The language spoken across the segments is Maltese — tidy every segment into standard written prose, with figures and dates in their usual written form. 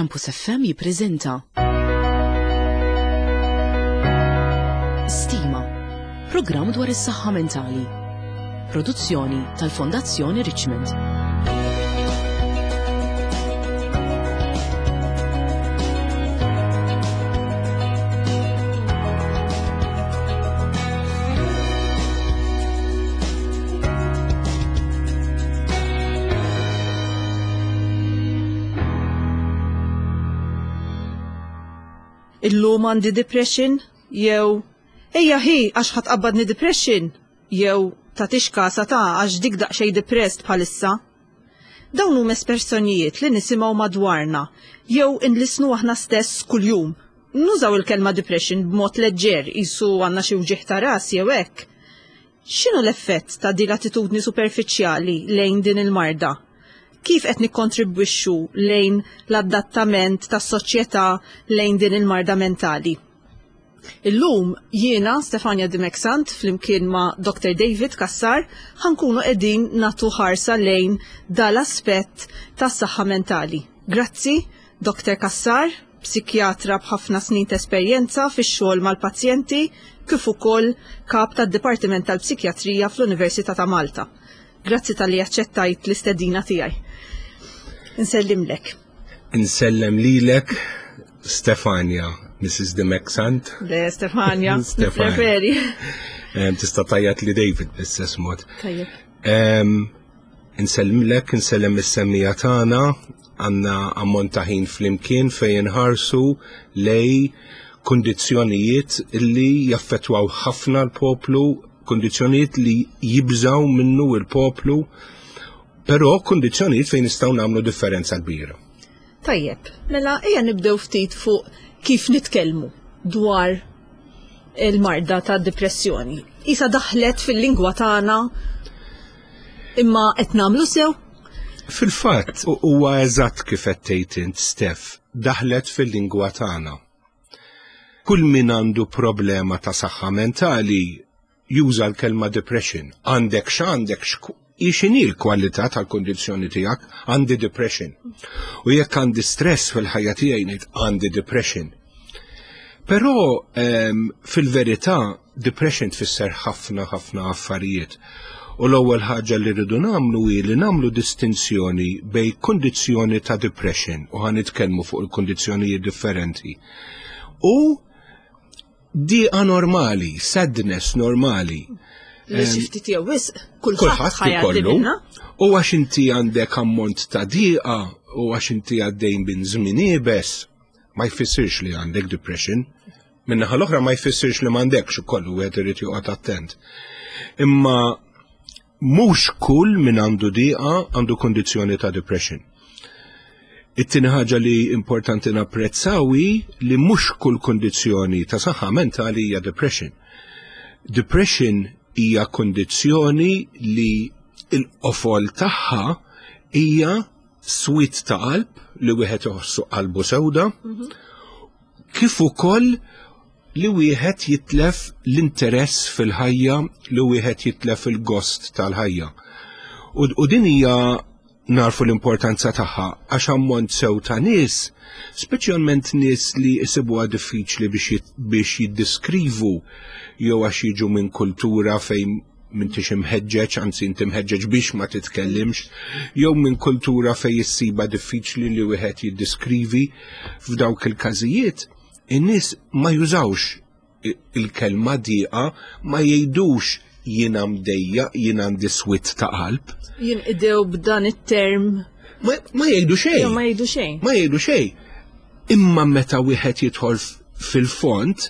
Campus FM jippreżenta Stima, programm dwar is-saħħa mentali. Produzzjoni tal-Fondazzjoni Richmond. Illum għandi depression jew ejja ħi għax ħa tqabbadni depression jew tagħtix kasa ta' għax dik daqsxejn depressed bħalissa. Dawn huma espressjonijiet li nisimgħu madwarna jew inlissnu aħna stess kuljum. Nużaw il-kelma depression b'mod leġġer qisu għandna xi wġigħ ta' ras jew hekk. X'inhu l-effett ta' din l-attitudni superfiċjali lejn din il-marda? Kif qed nikkontribwixxu lejn l-adattament tas-soċjetà lejn din il-marda mentali? Illum jiena Stefania Dimech Sant flimkien ma' Dr. David Cassar ħankunu qegħdin nagħtu ħarsa lejn dal-aspett tas-saħħa mentali. Grazzi, Dr. Cassar, psikjatra b'ħafna snin ta' esperjenza fix-xogħol mal-pazjenti kif ukoll kap tad-Dipartiment tal-Psikjatrija fl-Università ta' Malta. Grazzi talli aċċettajt l-istedina tiegħi. Insellimlek. Insellem lilek, Stefania, Mrs. Dimech Sant. Le, Stefania, Stefania. Preferi. Tista' tgħajjat li David bl-istess mod. Tajjeb. Insellimlek, insellem is-semmija tagħna, għandna ammont ta' ħin flimkien fejn inħarsu lej kundizzjonijiet li jaffettwaw ħafna l-poplu, kundizzjonijiet li jibżaw minnu l-poplu, però kundizzjonijiet fejn nistgħu nagħmlu differenza kbira. Tajjeb, mela ejja nibdew ftit fuq kif nitkellmu dwar il-marda ta' depressjoni. Isa daħlet fil-lingwa tagħna imma qed nagħmlu sew? Fil-fatt huwa eżatt kif qed tgħid int Steph, daħlet fil-lingwa tagħna. Kull min għandu problema ta' saħħa mentali juża l-kelma depression. Għandek x'għandek x'inhi l-kwalità tal-kondizzjoni tiegħek, għandi depression. U jekk għandi stress fil-ħajja tiegħi ngħid għandi depression. Però ehm, fil-verità depression tfisser ħafna ħafna affarijiet. U l-ewwel ħaġa li rridu nagħmlu hi li nagħmlu distinzjoni bejn kundizzjoni ta' depression u ħa nitkellmu fuq il-kundizzjonijiet differenti. U diqa normali, sadness normali. Li xi ftit jew wisq kulħadd ikollu. U għax inti għandek ammont ta' diqa u għax inti għaddejn bin żmien iebes, ma jfissirx li għandek depression. Min-naħa l-oħra ma jfissirx li m'għandekx ukoll wieħed irid joqgħod attent. Imma Mhux kull min għandu diqa għandu kundizzjoni ta' depression. It-tieni ħaġa li importanti napprezzaw hi li mhux kull kundizzjoni ta' saħħa mentali hija depression. Depression hija kundizzjoni li l-qofol tagħha hija swied ta' qalb li wieħed iħossu qalbu sewda, mhm. kif ukoll li wieħed jitlef l-interess fil-ħajja, li wieħed jitlef il-gost tal-ħajja. U, u din hija narfu l-importanza tagħha għax ammont sew ta' nies, speċjalment nies li jsibuha diffiċli biex, biex jiddiskrivu jew għax jiġu minn kultura fejn m'intix imħeġġeġ, anzi inti mħeġġeġ biex ma titkellimx, jew minn kultura fejn issiba diffiċli li wieħed jiddiskrivi f'dawk il-każijiet, In-nies ma jużawx il-kelma diqa, ma jgħidux jiena mdejjaq, jien għandi swied ta' qalb. Jinqdew b'dan it-term. Ma, ma jgħidu xejn. Ma jgħidu xejn. Ma jgħidu xejn. Imma meta wieħed jidħol fil-fond,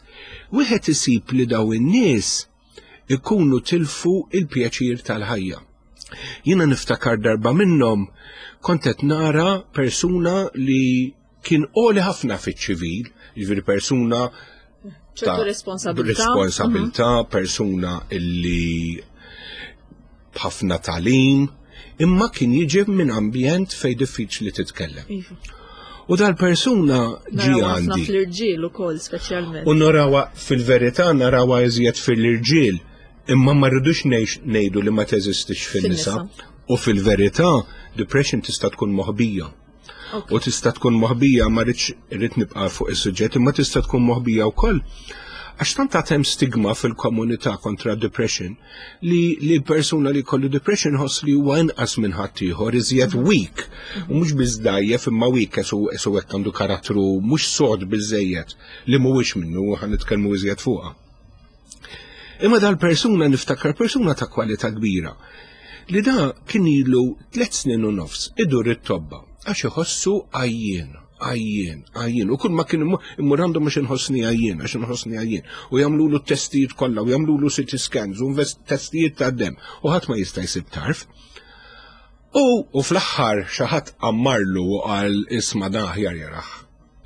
wieħed isib li daw in-nies ikunu tilfu il-pjaċir tal-ħajja. Jiena niftakar darba minnhom kont qed nara persuna li kien għoli ħafna fiċ-ċivil, jiġifieri persuna ta' responsabilità, responsabilità mhm. persuna illi b'ħafna talim, imma kien jiġi minn ambjent fej diffiċli titkellem. Iva. U dal-persuna ġi għandi. fl-irġiel ukoll speċjalment. U narawa fil-verità narawa iżjed fil-irġiel, imma ma rridux ngħidu li ma teżistix fin-nisa. U fil-verità, depression tista' tkun moħbija. U tista' tkun moħbija ma rridx irrid nibqa' fuq is-suġġett, imma tista' tkun moħbija wkoll għax tant għad hemm stigma fil-komunità kontra depression li li persuna li jkollu depression ħoss li huwa inqas minn ħaddieħor, iżjed weak. U mhux biss dgħajjef imma weak esu esu hekk għandu karattru mhux sod biżejjed li mhuwiex minnu u ħa nitkellmu iżjed fuqha. Imma dal-persuna niftakar persuna ta' kwalità kbira li da kien ilu tlet snin u nofs idur it-tobba għax iħossu għajjien, għajjien, għajjien. U kull ma kien immur għandu mhux inħossni għajjien, għax inħossni għajjien. U jagħmlulu t-testijiet kollha, u jagħmlulu CT scans, u testijiet ta' dem, u ħadd ma jista' jsib tarf. U, u fl-aħħar xi ħadd ammarlu u qal isma' dan aħjar jaraħ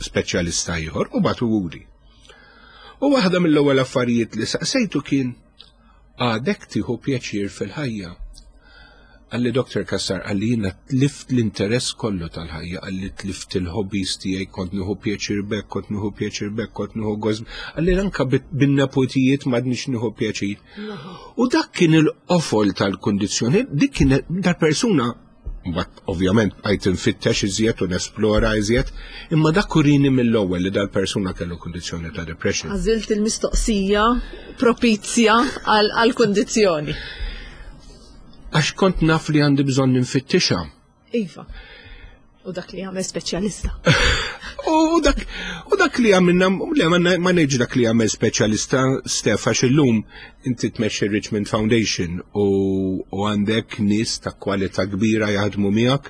speċjalista ieħor u bagħtu wuri. U waħda mill-ewwel affarijiet li saqsejtu kien għadek tieħu pjaċir fil-ħajja. Qalli Dr. Cassar, qalli jiena tlift l-interess kollu tal-ħajja, qalli tlift il-hobbies tiegħi, kont nieħu pjaċir bek, kont nieħu pjaċir bek, kont nieħu gost. Qalli anka bin-nepotijiet m'għadniex nieħu pjaċir. U dak kien il-qofol tal-kundizzjoni, dik kien dal-persuna Mbagħad ovvjament bqajt infittex iżjed u nesplora iżjed, imma dak urini mill-ewwel li dal-persuna kellu kundizzjoni ta' depression. Għażilt il-mistoqsija propizja għal-kundizzjoni. Għax kont naf li għandi bżonn ninfittixha. Iva. U dak li għamel speċjalista. U dak, u dak li għamilna, le ma ma ngħidx dak li għamel speċjalista Stef għax illum inti tmexxi Richmond Foundation u, u għandek nies ta' kwalità kbira jaħdmu miegħek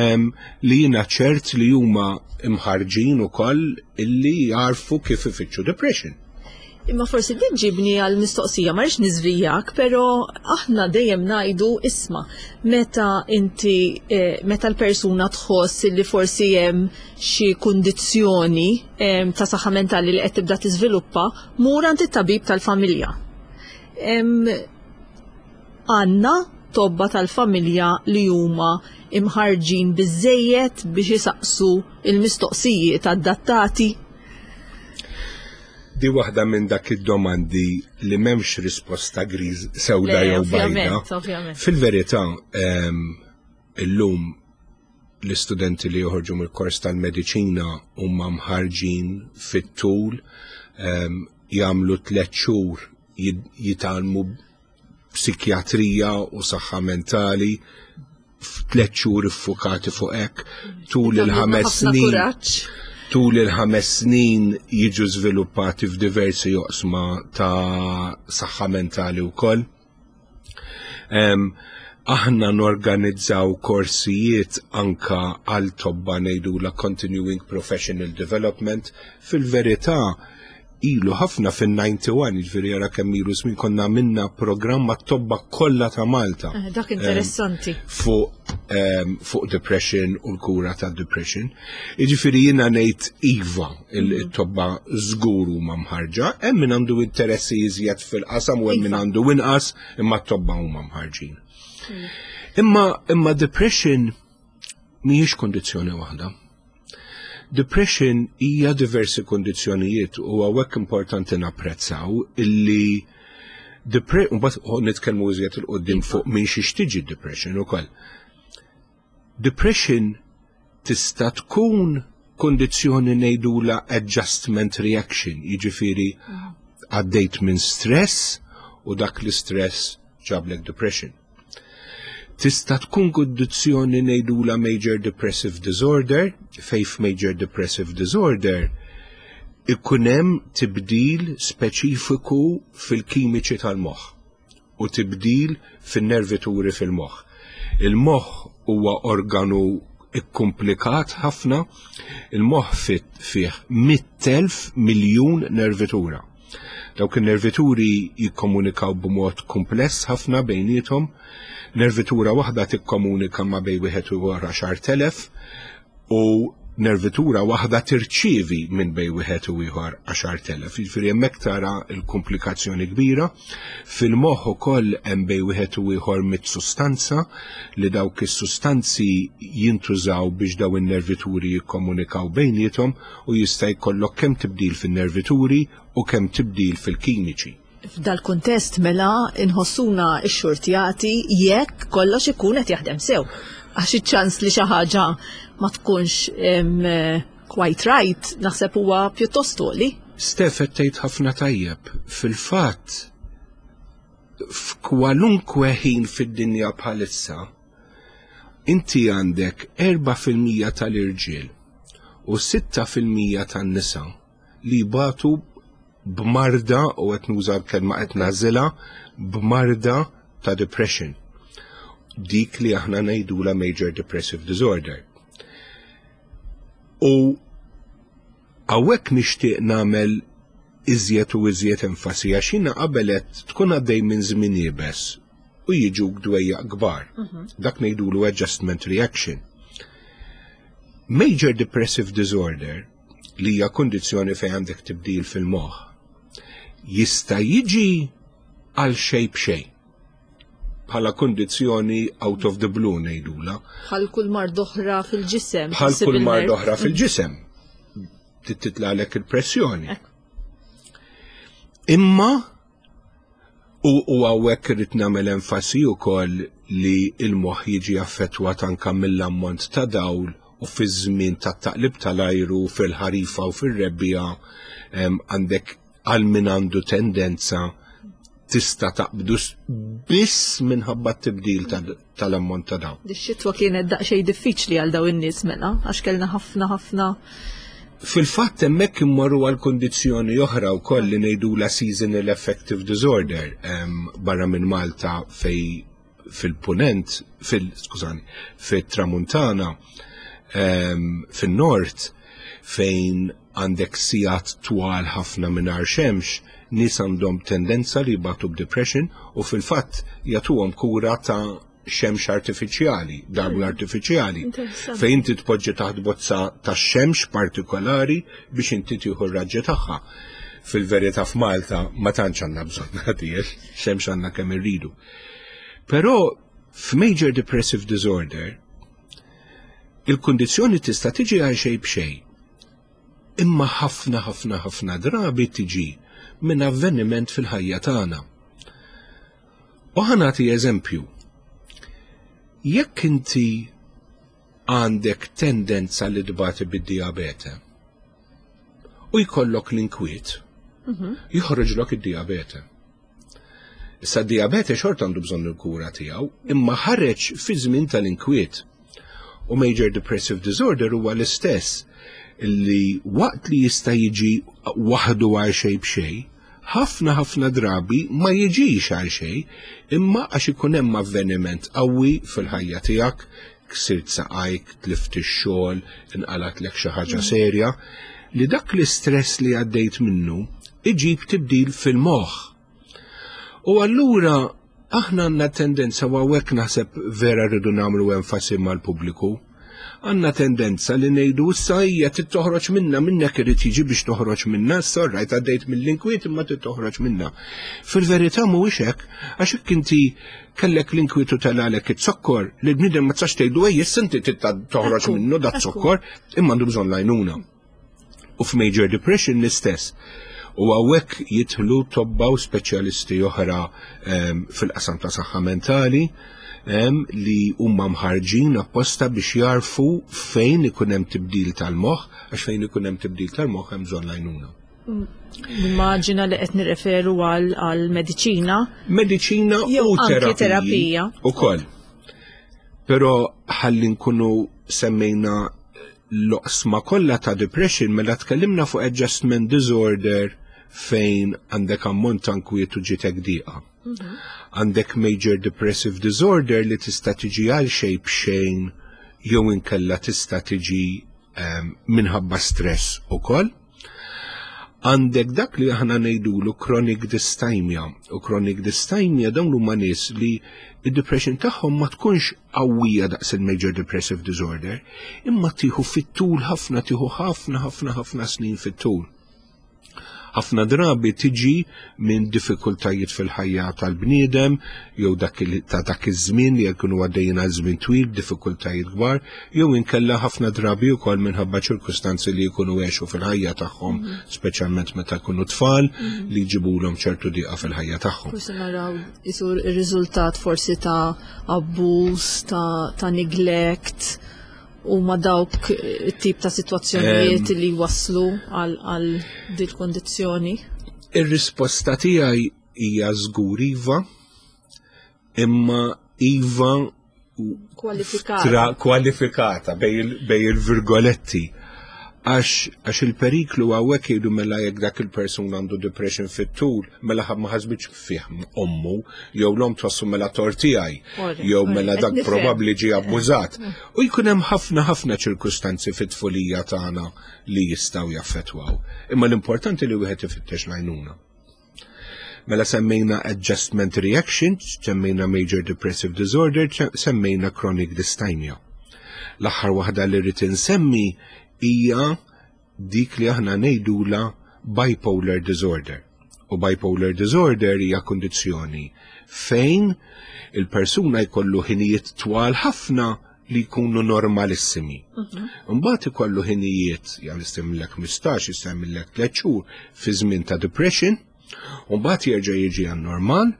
em, li jiena ċert li huma imħarġin ukoll illi jarfu kif ifittxu depression. Imma forsi din ġibni għal mistoqsija, ma rridx niżvijak, però aħna dejjem ngħidu isma' meta inti eh, meta l-persuna tħoss li forsi hemm xi kundizzjoni eh, ta' saħħa mentali li qed tibda tiżviluppa, mur għand it-tabib tal-familja. Għandna tobba tal-familja li huma imħarġin biżejjed biex isaqsu il-mistoqsijiet adattati? Di waħda minn dak id-domandi li m'hemmx risposta griż sewda jew bajda. Fil-verità, ehm, illum l-istudenti li joħorġu mill-kors tal-mediċina huma mħarġin fit-tul, ehm, jagħmlu tliet xhur jitgħallmu psikjatrija u saħħa mentali f'tliet xhur iffukati fuq hekk tul il-ħames snin. Tul il-ħames snin jiġu żviluppati f'diversi oqsma ta' saħħa mentali wkoll. Aħna norganizzaw korsijiet anka għal tobba ngħidula Continuing Professional Development. Fil-verità, ilu ħafna fin-91, jiġifieri jara kemm ilu żmien konna għamilna programm mat-tobba kollha ta' Malta. Eh, dak interessanti. Fuq ehm, fuq depression u l-kura ta' depression. Jiġifieri jiena ngħid iva il-tobba żgur huma mħarġa, hemm min għandu interessi iżjed fil-qasam u hemm min iva. għandu inqas, imma t-tobba huma mħarġin. Mm. Imma imma depression mhijiex kondizzjoni waħda. Depression hija diversi kondizzjonijiet u hawnhekk importanti napprezzaw illi mbagħad nitkellmu iżjed il qudiem fuq minn xiex tiġi depression ukoll. Depression tista' tkun kondizzjoni ngħidula adjustment reaction, jiġifieri għaddejt minn stress u dak l-istress ġablek depression. Tista' tkun kundizzjoni ngħidula major depressive disorder, fejn f'major depressive disorder ikun hemm tibdil speċifiku fil-kimiċi tal-moħħ u tibdil fin-nervituri fil-moħħ. Il-moħħ huwa organu ikkumplikat ħafna, il-moħħ fih 100,000 miljun nervitura. Dawk in-nervituri jikkomunikaw b'mod kumpless ħafna bejniethom. Nervitura waħda tikkomunika ma' bejn wieħed u ieħor 10,000 u nervitura waħda tirċievi minn bejn wieħed u ieħor 10,000. Jiġifieri hemmhekk tara l-komplikazzjoni kbira. Fil-moħħ ukoll hemm bejn wieħed u ieħor mit sustanza li dawk is-sustanzi jintużaw biex daw in-nervituri jikkomunikaw bejniethom u jista' jkollok kemm tibdil fin-nervituri u kemm tibdil fil-kimiċi. F'dal-kuntest mela inħossuna xxurtjati jekk kollox ikun qed jaħdem sew. Għax iċ-ċans li xi ħaġa ma tkunx quite right naħseb huwa pjuttost għoli. Stef qed tgħid ħafna tajjeb. Fil-fatt f'kwalunkwe ħin fid-dinja bħalissa inti għandek 4% tal-irġiel u 6% tan-nisa li jbatu b'marda, u qed nuża l-kelma qed nagħżilha, b'marda ta' depression. Dik li aħna ngħidula major depressive disorder. U hawnhekk nixtieq nagħmel iżjed u iżjed enfasi għax jiena qabel qed tkun għaddej minn żmien iebes u jiġuk dwejjaq kbar. Dak ngħidulu adjustment reaction. Major depressive disorder, li hija kundizzjoni fejn għandek tibdil fil-moħħ, jista' jiġi għal xejn b'xejn. Bħala kundizzjoni out of the blue ngħidula. Bħal kull mard oħra fil-ġisem. Bħal kull mard oħra fil-ġisem. Titlalek il-pressjoni. Imma u hawnhekk irrid nagħmel enfasi wkoll li l-moħħ jiġi affettwat anke mill-ammont ta' dawl u fiż-żmien tat-taqlib tal-ajru fil-ħarifa u fir-rebbiegħa għandek għal min għandu tendenza tista' taqbdu biss minħabba t-tibdil tal-ammont ta' dawl. Dix-xitwa kienet daqsxejn diffiċli għal dawn in-nies mela, għax kellna ħafna ħafna. Fil-fatt hemmhekk immorru għal kundizzjoni oħra wkoll li ngħidulha seasonal affective disorder barra minn Malta fej fil-punent, fil, skużani, fit-tramuntana, fin-nord, fejn għandek sigħat twal ħafna mingħajr xemx, nies għandhom tendenza li jbatu b'depression u fil-fatt jagħtuhom kura ta' xemx artifiċjali, dawl artifiċjali, fejn inti tpoġġi taħt bozza ta' xemx partikolari biex inti tieħu r-raġġi tagħha. Fil-verità f'Malta ma tantx għandna bżonn għadiex, xemx għandna kemm irridu. Però f'major depressive disorder il-kundizzjoni tista' tiġi għal xejn b'xejn. Imma ħafna ħafna ħafna drabi tiġi minn avveniment fil-ħajja tagħna. U ħa nagħti eżempju. Jekk inti għandek tendenza li tbati bid-diabete u jkollok l-inkwiet, joħroġlok id-diabete. Issa d-diabete xorta għandu bżonn il-kura tiegħu, imma ħareġ fi żmien tal-inkwiet. U major depressive disorder huwa l-istess li waqt li jista' jiġi waħdu għal xejn b'xejn, ħafna ħafna drabi ma jiġix għal xejn, imma għax ikun hemm avveniment qawwi fil-ħajja tiegħek, ksirt saqajk, tlift ix-xogħol, inqalatlek xi ħaġa serja, li dak l-istress li għaddejt minnu iġib tibdil fil-moħħ. U allura aħna għandna tendenza, u hawnhekk naħseb vera rridu nagħmlu enfasi mal-pubbliku, għandna tendenza li ngħidu issa hija trid toħroġ minna, minnek irid jiġi biex toħroġ minna, issa rajt għaddejt mill-inkwiet imma trid toħroġ minna. Fil-verità mhuwiex hekk, għax hekk inti kellek l-inkwiet u telalek it-zokkor, li l-bniedem ma tistax tgħidu ej issa inti trid toħroġ minnu dat zokkor, imma għandu bżonn l-għajnuna. U f'major depression l-istess. U hawnhekk jidħlu tobba u speċjalisti oħra fil-qasam ta' saħħa mentali li huma mħarġin apposta biex jarfu fejn ikun hemm tibdil tal-moħħ, għax fejn ikun hemm tibdil tal-moħħ hemm bżonn l-għajnuna. Nimmaġina li qed nirreferu għal mediċina. Mediċina u anke terapija. Ukoll. Però ħalli nkunu semmejna l-oqsma kollha ta' depression, mela tkellimna fuq adjustment disorder fejn għandek ammont ta' nkwiet u ġitek diqa. Għandek major depressive disorder li tista' tiġi għal xejn b'xejn jew inkella tista' tiġi minħabba stress ukoll. Għandek dak li aħna ngħidulu chronic dysthymia, u chronic dysthymia dawn huma nies li id-depression tagħhom ma tkunx qawwija daqs il-major depressive disorder, imma tieħu fit-tul ħafna, tieħu ħafna ħafna ħafna snin fit-tul. Ħafna drabi tiġi minn diffikultajiet fil-ħajja tal-bniedem jew dak ta' dak iż-żmien li jkunu għaddejjin għal żmien twil, diffikultajiet kbar, jew inkella ħafna drabi wkoll minħabba ċirkustanzi li jkunu għexu fil-ħajja tagħhom, speċjalment meta jkunu tfal li jġibulhom ċertu diqa fil-ħajja tagħhom. Forsi naraw isur ir-riżultat forsi ta' abbuż, ta', ta neglect, u ma dawk it-tip ta' sitwazzjonijiet li waslu għal dil kondizzjoni? Ir-risposta tiegħi hija żgur iva, imma iva kwalifikata, kwalifikata bej il-virgoletti. Għax il-periklu għawek jgħidu mela jekk dak il-persuna għandu depression fit-tul, mela ma ħasbitx fih ommu, jew l-om twassu mela tort tiegħi, jew mela dak probabbli ġie abbużat. U jkun hemm ħafna ħafna ċirkustanzi fit-tfulija tagħna li jistgħu jaffettwaw. Imma l-importanti li wieħed ifittex l-għajnuna. Mela semmejna adjustment reaction, semmejna major depressive disorder, semmejna chronic dysthymia. L-aħħar waħda li rrid insemmi hija dik li aħna ngħidula bipolar disorder. U bipolar disorder hija kundizzjoni fejn il-persuna jkollu ħinijiet twal ħafna li jkunu normalissimi. Mhm. Mbagħad ikollu ħinijiet, jew jistemmilek 15, jistemmilek 3 xhur fi żmien ta' depression, u mbagħad jerġa' jiġi għan normal,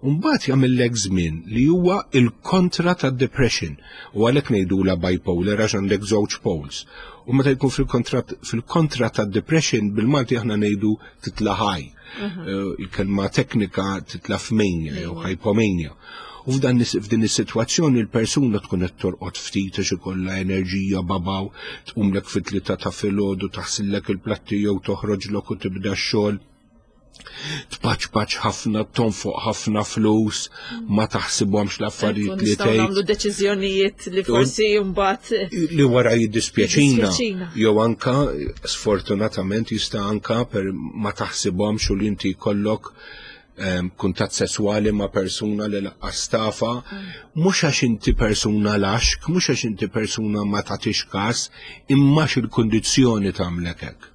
u mbagħad jagħmillek żmien li huwa il-kontra ta' depression. U għalhekk ngħidula bipolar għax għandek żewġ poles. U meta jkun fil-kontra ta' depression bil-Malti aħna ngħidu titla' high. Mhm. Eh, il-kelma teknika titla' f'mania jew hypomania. U f'dan f'din is-sitwazzjoni l-persuna tkun qed torqod ftit għax ikollha enerġija babaw, tqumlek fit-tlieta ta' filgħodu taħsillek il-platti jew toħroġlok u tibda x-xogħol. Tpaċpaċ ħafna, tonfoq ħafna flus, ma taħsibhomx l-affarijiet li tgħid. Nagħmlu deċiżjonijiet li forsi mbagħad li wara jiddispjaċina. Jew anka sfortunatament jista' anka per ma taħsibhomx u li inti jkollok kuntatt sesswali ma' persuna li laqqas tafa, mhux għax inti persuna laxk, mhux għax inti persuna ma tagħtix każ, imma x'il-kundizzjoni tagħmlek hekk.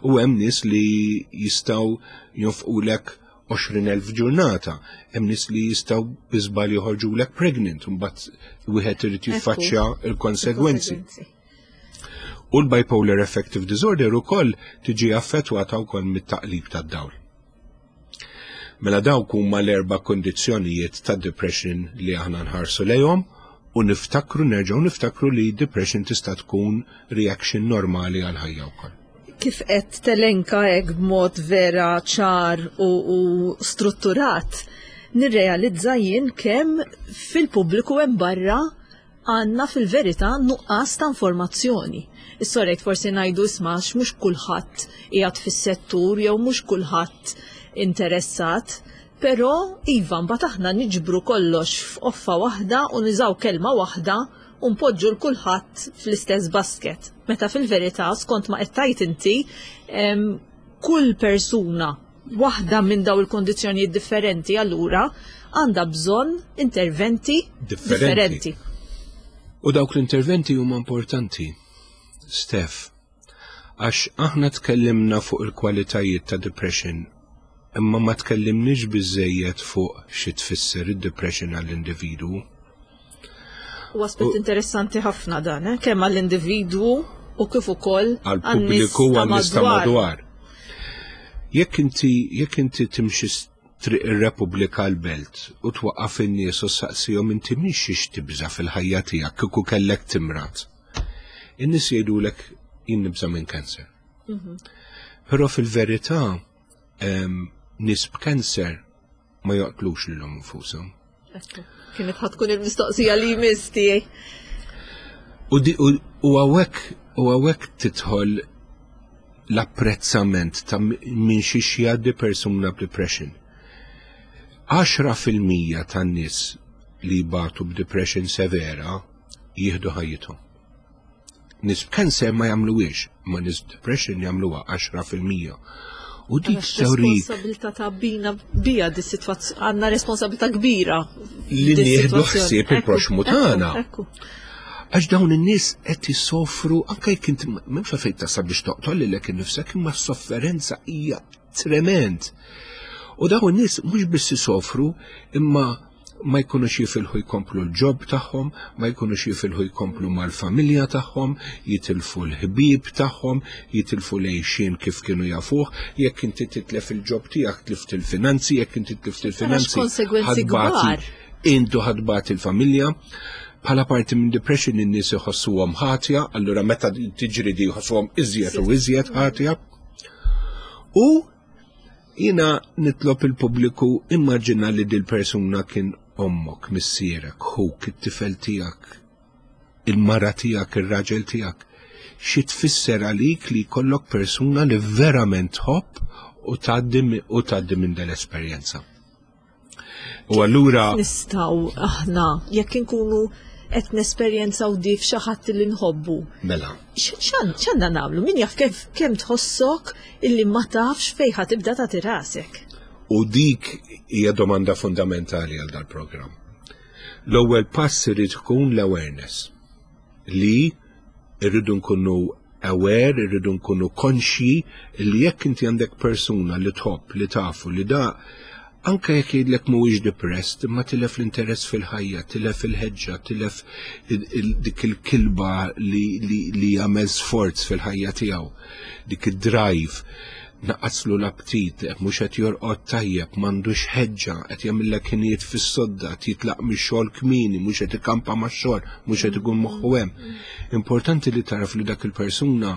U hemm nies li jistgħu jonfqulek 20,000 ġurnata, hemm nies li jistgħu bi żball joħorġulek pregnant, mbagħad wieħed irid jiffaċċja l-konsegwenzi. U l-bipolar affective disorder ukoll tiġi affettwata wkoll mit-taqlib tad-dawl. Mela dawk huma l-erba' kondizzjonijiet ta' depression li aħna nħarsu lejhom u niftakru nerġgħu niftakru li depression tista' tkun reaction normali għal ħajja wkoll. Kif qed telenka hekk b'mod vera ċar u, u strutturat, nirrealizza jien kemm fil-pubbliku hemm barra għandna fil-verità nuqqas ta' informazzjoni. Is-sorejt forsi ngħidu isma' għax mhux kulħadd qiegħed fis-settur jew mhux kulħadd interessat, però iva mbagħad aħna niġbru kollox f'qoffa waħda u niżaw kelma waħda u npoġġu l kulħadd fl-istess basket. Meta fil-verità skont ma qed tgħid inti kull persuna waħda minn daw il-kondizzjonijiet differenti allura għandha bżonn interventi differenti. U dawk l-interventi huma importanti, Steph, għax aħna tkellimna fuq il-kwalitajiet ta' depression, imma ma tkellimniex biżejjed fuq xi tfisser id-depression għall-individwu. U aspett interessanti ħafna dan, eh? kemm għall-individwu u kif ukoll għall-pubbliku u għan-nies ta' madwar. Jekk inti jekk inti timxi triq ir-Repubblika l-Belt u twaqqaf in-nies u saqsihom inti minn xiex tibża' fil-ħajja tiegħek kieku kellek timrad. In-nies jgħidulek jien nibża' minn cancer. Mhm. Però fil-verità nies b'cancer ma joqtlux lilhom infushom. Kienet ħatkun il-mistoqsija li jmiss tiegħi. U hawnhekk u hawnhekk tidħol l-apprezzament ta' minn xi jgħaddi persuna b'depression. 10% tan-nies li jbatu b'depression severa jieħdu ħajjithom. Nies b'cancer ma jagħmluhiex, ma nies b'depression jagħmluha 10%. U dik teorik. Responsabilità ta' bina bija di situazzjoni, għandna responsabilità kbira. Li nieħdu ħsieb il-proxmu tagħna. Għax dawn in-nies qed isofru anke jekk inti m'hemmx għalfejn tasal biex toqtol lilek innifsek imma s-sofferenza hija trement. U dawn in-nies mhux biss isofru imma ma jkunux jifilħu jkomplu l-ġob tagħhom, ma jkunux jifilħu jkomplu mal-familja tagħhom, jitilfu l-ħbieb tagħhom, jitilfu l-għixien kif kienu jafuh, jekk inti titlef il-ġob tiegħek tlift il-finanzi, jekk inti tlift il-finanzi. Konsegwenzi kbar. Intu ħadbat il-familja. Bħala parti minn depression in-nies iħossuhom ħatja, allura meta tiġri di jħossuhom iżjed u iżjed ħatja. U jina nitlob il-pubbliku immaġina li dil-persuna kien ommok, missierek, ħuk, it-tifel tiegħek, il-mara tiegħek, ir-raġel tiegħek. Xi tfisser għalik li jkollok persuna li verament tħobb u tgħaddi minn dal-esperjenza. U allura nistgħu aħna jekk inkunu qed nesperjenzaw di f'xi ħadd li nħobbu. Mela. X'għandna nagħmlu? Min jaf kemm tħossok illi ma tafx fejn ħa tibda tagħti rasek. U dik hija domanda fundamentali għal dal-programm. L-ewwel pass irid ikun l-awareness li irridu nkunu aware, irridu nkunu konxji li jekk inti għandek persuna li tħobb, li tafu, li da anke jekk jgħidlek mhuwiex depressed, imma tilef l-interess fil-ħajja, tilef il-ħeġġa, tilef dik il-kilba li, li, li jagħmel sforz fil-ħajja tiegħu, dik id-drive naqaslu l-aptit, mhux qed jorqod tajjeb, m'għandux ħeġġa, qed jagħmillek ħinijiet fis-sodda, qed jitlaq mix-xogħol kmieni, mhux qed ikampa max-xogħol, mhux qed ikun moħħu hemm. Importanti li taraf li dak il-persuna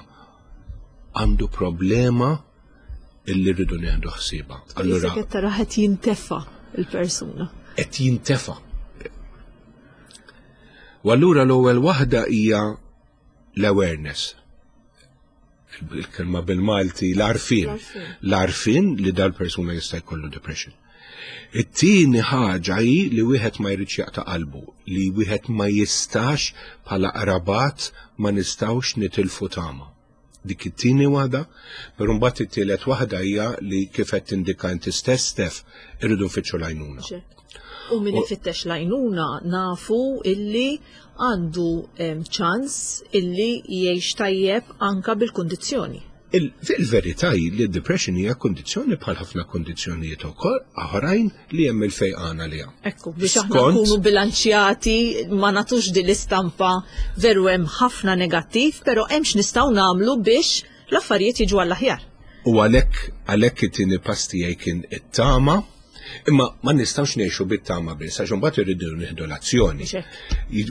għandu problema illi rridu nieħdu ħsiebha. Allura qed tara qed jintefa' il-persuna. Qed jintefa'. U allura l-ewwel waħda hija l-awareness. Il-kelma bil-Malti l-arfin. L-arfin li dal-persuna jista' jkollu depression. It-tieni ħaġa hi li wieħed ma jridx jaqta' qalbu, li wieħed ma jistax bħala qrabat ma nistgħux nitilfu tama. Dik it-tieni waħda, però mbagħad it-tielet waħda hija li kif qed tindika inti stess Stef, irridu nfittxu l-għajnuna. U min ifittex l-għajnuna nafu illi għandu ċans illi jgħix tajjeb anka bil-kundizzjoni. Il-verità hi li d-depression hija kundizzjoni bħal ħafna kundizzjonijiet ukoll oħrajn li hemm il-fejqan għaliha. Ekku, biex aħna nkunu bilanċjati ma nagħtux din l-istampa veru hemm ħafna negattiv, però hemm x'nistgħu nagħmlu biex l-affarijiet jiġu għall-aħjar. U għalhekk għalhekk it-tieni pass tiegħi kien it-tama, imma ma nistgħux ngħixu bit-tama biss għax imbagħad irridu nieħdu l-azzjoni.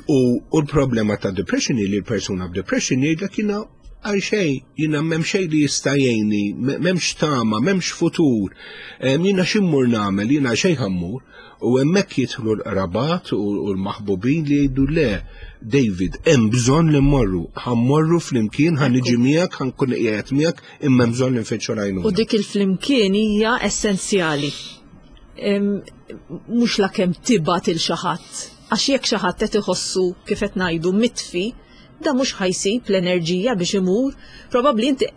U l-problema ta' depression hi li l-persuna b'depression jgħidlek jiena għal xejn, jiena m'hemm xejn li jista' jgħinni, m'hemmx tama, m'hemmx futur, jiena x'immur nagħmel, jiena xejn ħammur. U hemmhekk jidħlu l-qrabat u l-maħbubin li jgħidu le, David, hemm bżonn li mmorru, ħammorru flimkien, ħa niġi miegħek, ħa nkun qiegħed miegħek, imma hemm bżonn li nfittxu l-għajnuna. U dik il-flimkien hija essenzjali. Mhux la kemm tibgħat il xi ħadd, għax jekk xi ħadd qed iħossu kif qed ngħidu mitfi, da mhux ħajsib l-enerġija biex imur, probabbli inti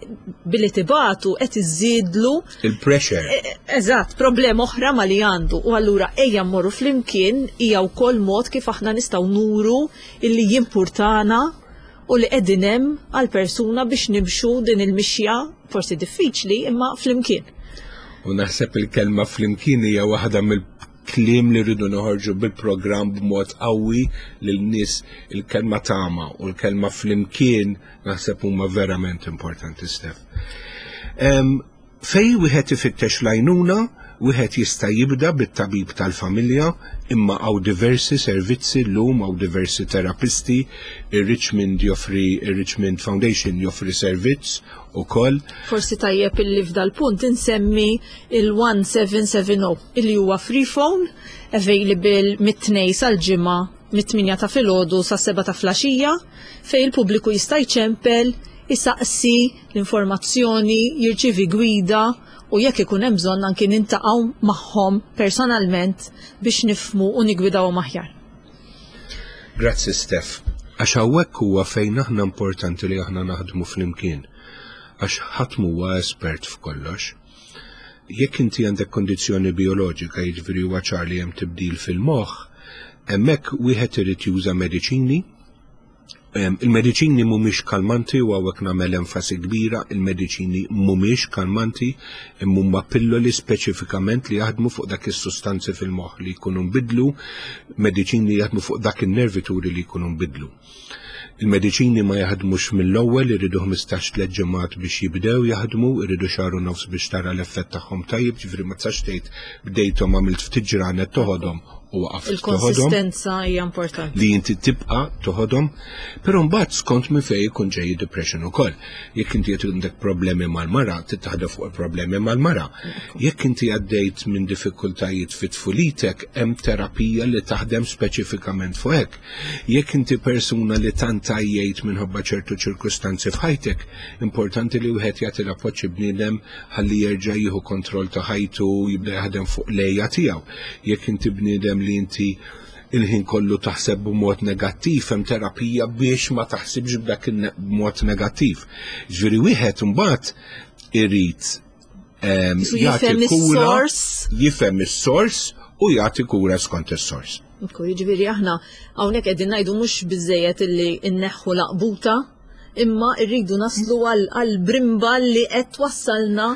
billi tibatu qed iżidlu il-pressure. E, e, eżatt, problema oħra ma li għandu. U allura ejja mmorru flimkien hija wkoll mod kif aħna nistgħu nuru illi jimpurtana u li qegħdin hemm għal persuna biex nimxu din il-mixja forsi diffiċli imma flimkien. U naħseb il-kelma flimkien hija waħda mill kliem li rridu noħorġu bil-programm b'mod qawwi lil nies il-kelma tama u l-kelma flimkien naħseb huma verament importanti Stef. Fej wieħed ifittex l-għajnuna, wieħed jista' jibda bit-tabib tal-familja, imma hawn diversi servizzi llum hawn diversi terapisti, ir-Richmond joffri ir-Richmond Foundation joffri servizz ukoll. Forsi tajjeb illi f'dal-punt insemmi il-1770 illi huwa free phone available mit-tnej sal-ġimgħa mit-8 ta' filgħodu sas-7 ta' flaxija fejn il-pubbliku jista' jċempel, isaqsi l-informazzjoni, jirċievi gwida u jekk ikun hemm bżonn anki nintaqgħu magħhom personalment biex nifhmu u nigwidawhom aħjar. Grazzi Steph. Għax hawnhekk huwa fejn aħna importanti li aħna naħdmu flimkien. Għax ħadd m'huwa espert f'kollox. Jekk inti għandek kondizzjoni bioloġika, jiġifieri huwa ċar li hemm tibdil fil-moħħ, hemmhekk wieħed irid juża mediċini. Il-mediċini mhumiex kalmanti u hawnhekk nagħmel enfasi kbira, il-mediċini mhumiex kalmanti imma huma pilloli speċifikament li jaħdmu fuq dak is-sustanzi fil-moħħ li jkunu nbidlu, mediċini li jaħdmu fuq dak in-nervituri li jkunu nbidlu. Il-mediċini ma jaħdmux mill-ewwel, iridu 15 tliet ġimgħat biex jibdew jaħdmu, iridu xahar u nofs biex tara l-effett tagħhom tajjeb, ġifieri ma tistax tgħid bdejthom għamilt ftit ġranet toħodhom u waqaft Il-konsistenza hija importanti. Li inti tibqa' toħodhom, però mbagħad skont minn fejn ikun ġej depression ukoll. Jekk inti qed għandek problemi mal-mara, titaħdem fuq il-problemi mal-mara. Jekk inti għaddejt minn diffikultajiet fit tfulitek, hemm terapija li taħdem speċifikament fuq hekk. Jekk inti persuna li tant għajjejt minħabba ċertu ċirkustanzi f'ħajtek, importanti li wieħed jagħti l-appoġġ bniedem ħalli jerġa' jieħu kontroll ta' ħajtu jibda jaħdem fuq lejja tiegħu. Jekk inti bniedem li inti il-ħin kollu taħseb b'mod negattiv, hemm terapija biex ma taħsibx b'dak il-mod negattiv. Ġifieri wieħed imbagħad irid ehm, jagħti kura, jifhem is-sors u jagħti kura skont is-sors. Jiġifieri aħna hawnhekk qegħdin ngħidu mhux biżejjed illi nneħħu laqbuta imma rridu naslu għal brimba li qed twassalna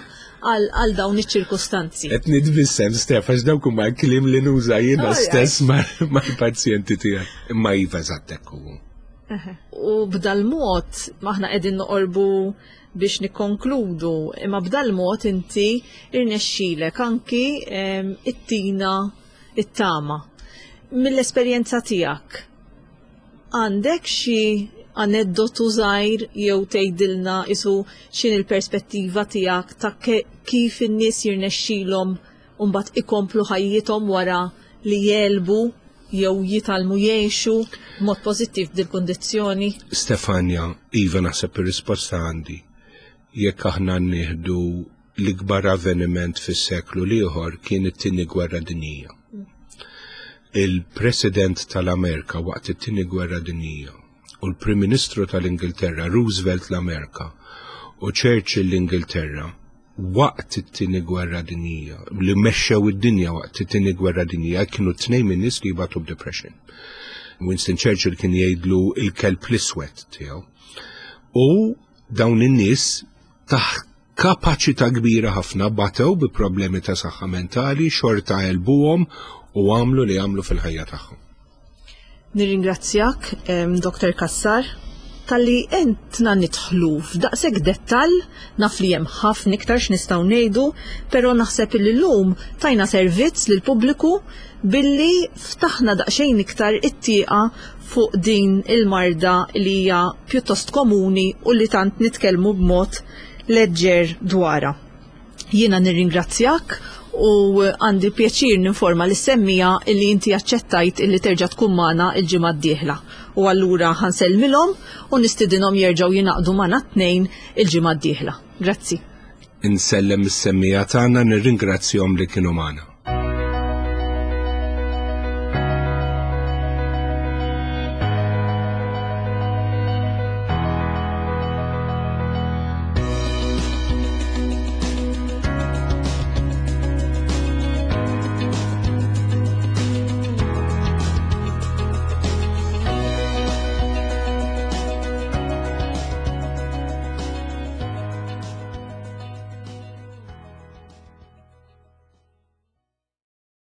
għal dawn iċ-ċirkustanzi. Qed nitbissem Stef għax dawk huma kliem li nuża jiena stess mal-pazjenti tiegħi. Imma iva eżatt hekk hu. U b'dal-mod aħna qegħdin noqorbu biex nikkonkludu, imma b'dal-mod inti irnexxilek anki ehm, it-tina it-tama. Mill-esperjenza tiegħek, Għandek xi aneddotu żgħir jew tgħidilna isu x'inhi l-perspettiva tiegħek ta' kif in-nies jirnexxilhom mbagħad ikomplu ħajjithom wara li jegħlbu jew jitgħallmu jgħixu b'mod pożittiv b'dil-kundizzjoni? Stefania, Iva naħseb ir-risposta għandi. Jekk aħna nieħdu l-ikbar avveniment fis-seklu l-ieħor kien it-Tieni Gwerra Dinjija. Il-President tal-Amerika waqt it-Tieni Gwerra Dinjija u l-Prim Ministru tal-Ingilterra Roosevelt l-Amerika u Churchill l-Ingilterra waqt it-Tieni Gwerra Dinjija li mexxew id-dinja waqt it-Tieni Gwerra Dinjija kienu tnejn minn nies li jbatu b'depression. Winston Churchill kien jgħidlu il-kelb l-iswed tiegħu. U dawn in-nies taħt kapaċità kbira ħafna batew bi problemi ta' saħħa mentali, xorta għelbuhom u għamlu li għamlu fil-ħajja tagħhom. Nirringrazzjak, Dr. Cassar, talli għentna nidħlu f'daqshekk dettall, naf li hemm ħafna iktar x'nistgħu ngħidu, però naħseb illi llum tajna servizz lill-pubbliku billi ftaħna daqsxejn iktar it-tieqa fuq din il-marda li hija pjuttost komuni u li tant nitkellmu b'mod leġġer dwarha. Jiena nirringrazzjak u għandi pjaċir ninforma lis-semmiegħa illi inti aċċettajt illi terġa' tkun magħna l-ġimgħa d-dieħla. U allura ħa nsellmilhom u nistidinhom jerġgħu jingħaqdu magħna t-tnejn il-ġimgħa d-dieħla. Grazzi. Insellem is-semmiegħa tagħna nirringrazzjahom li kienu magħna.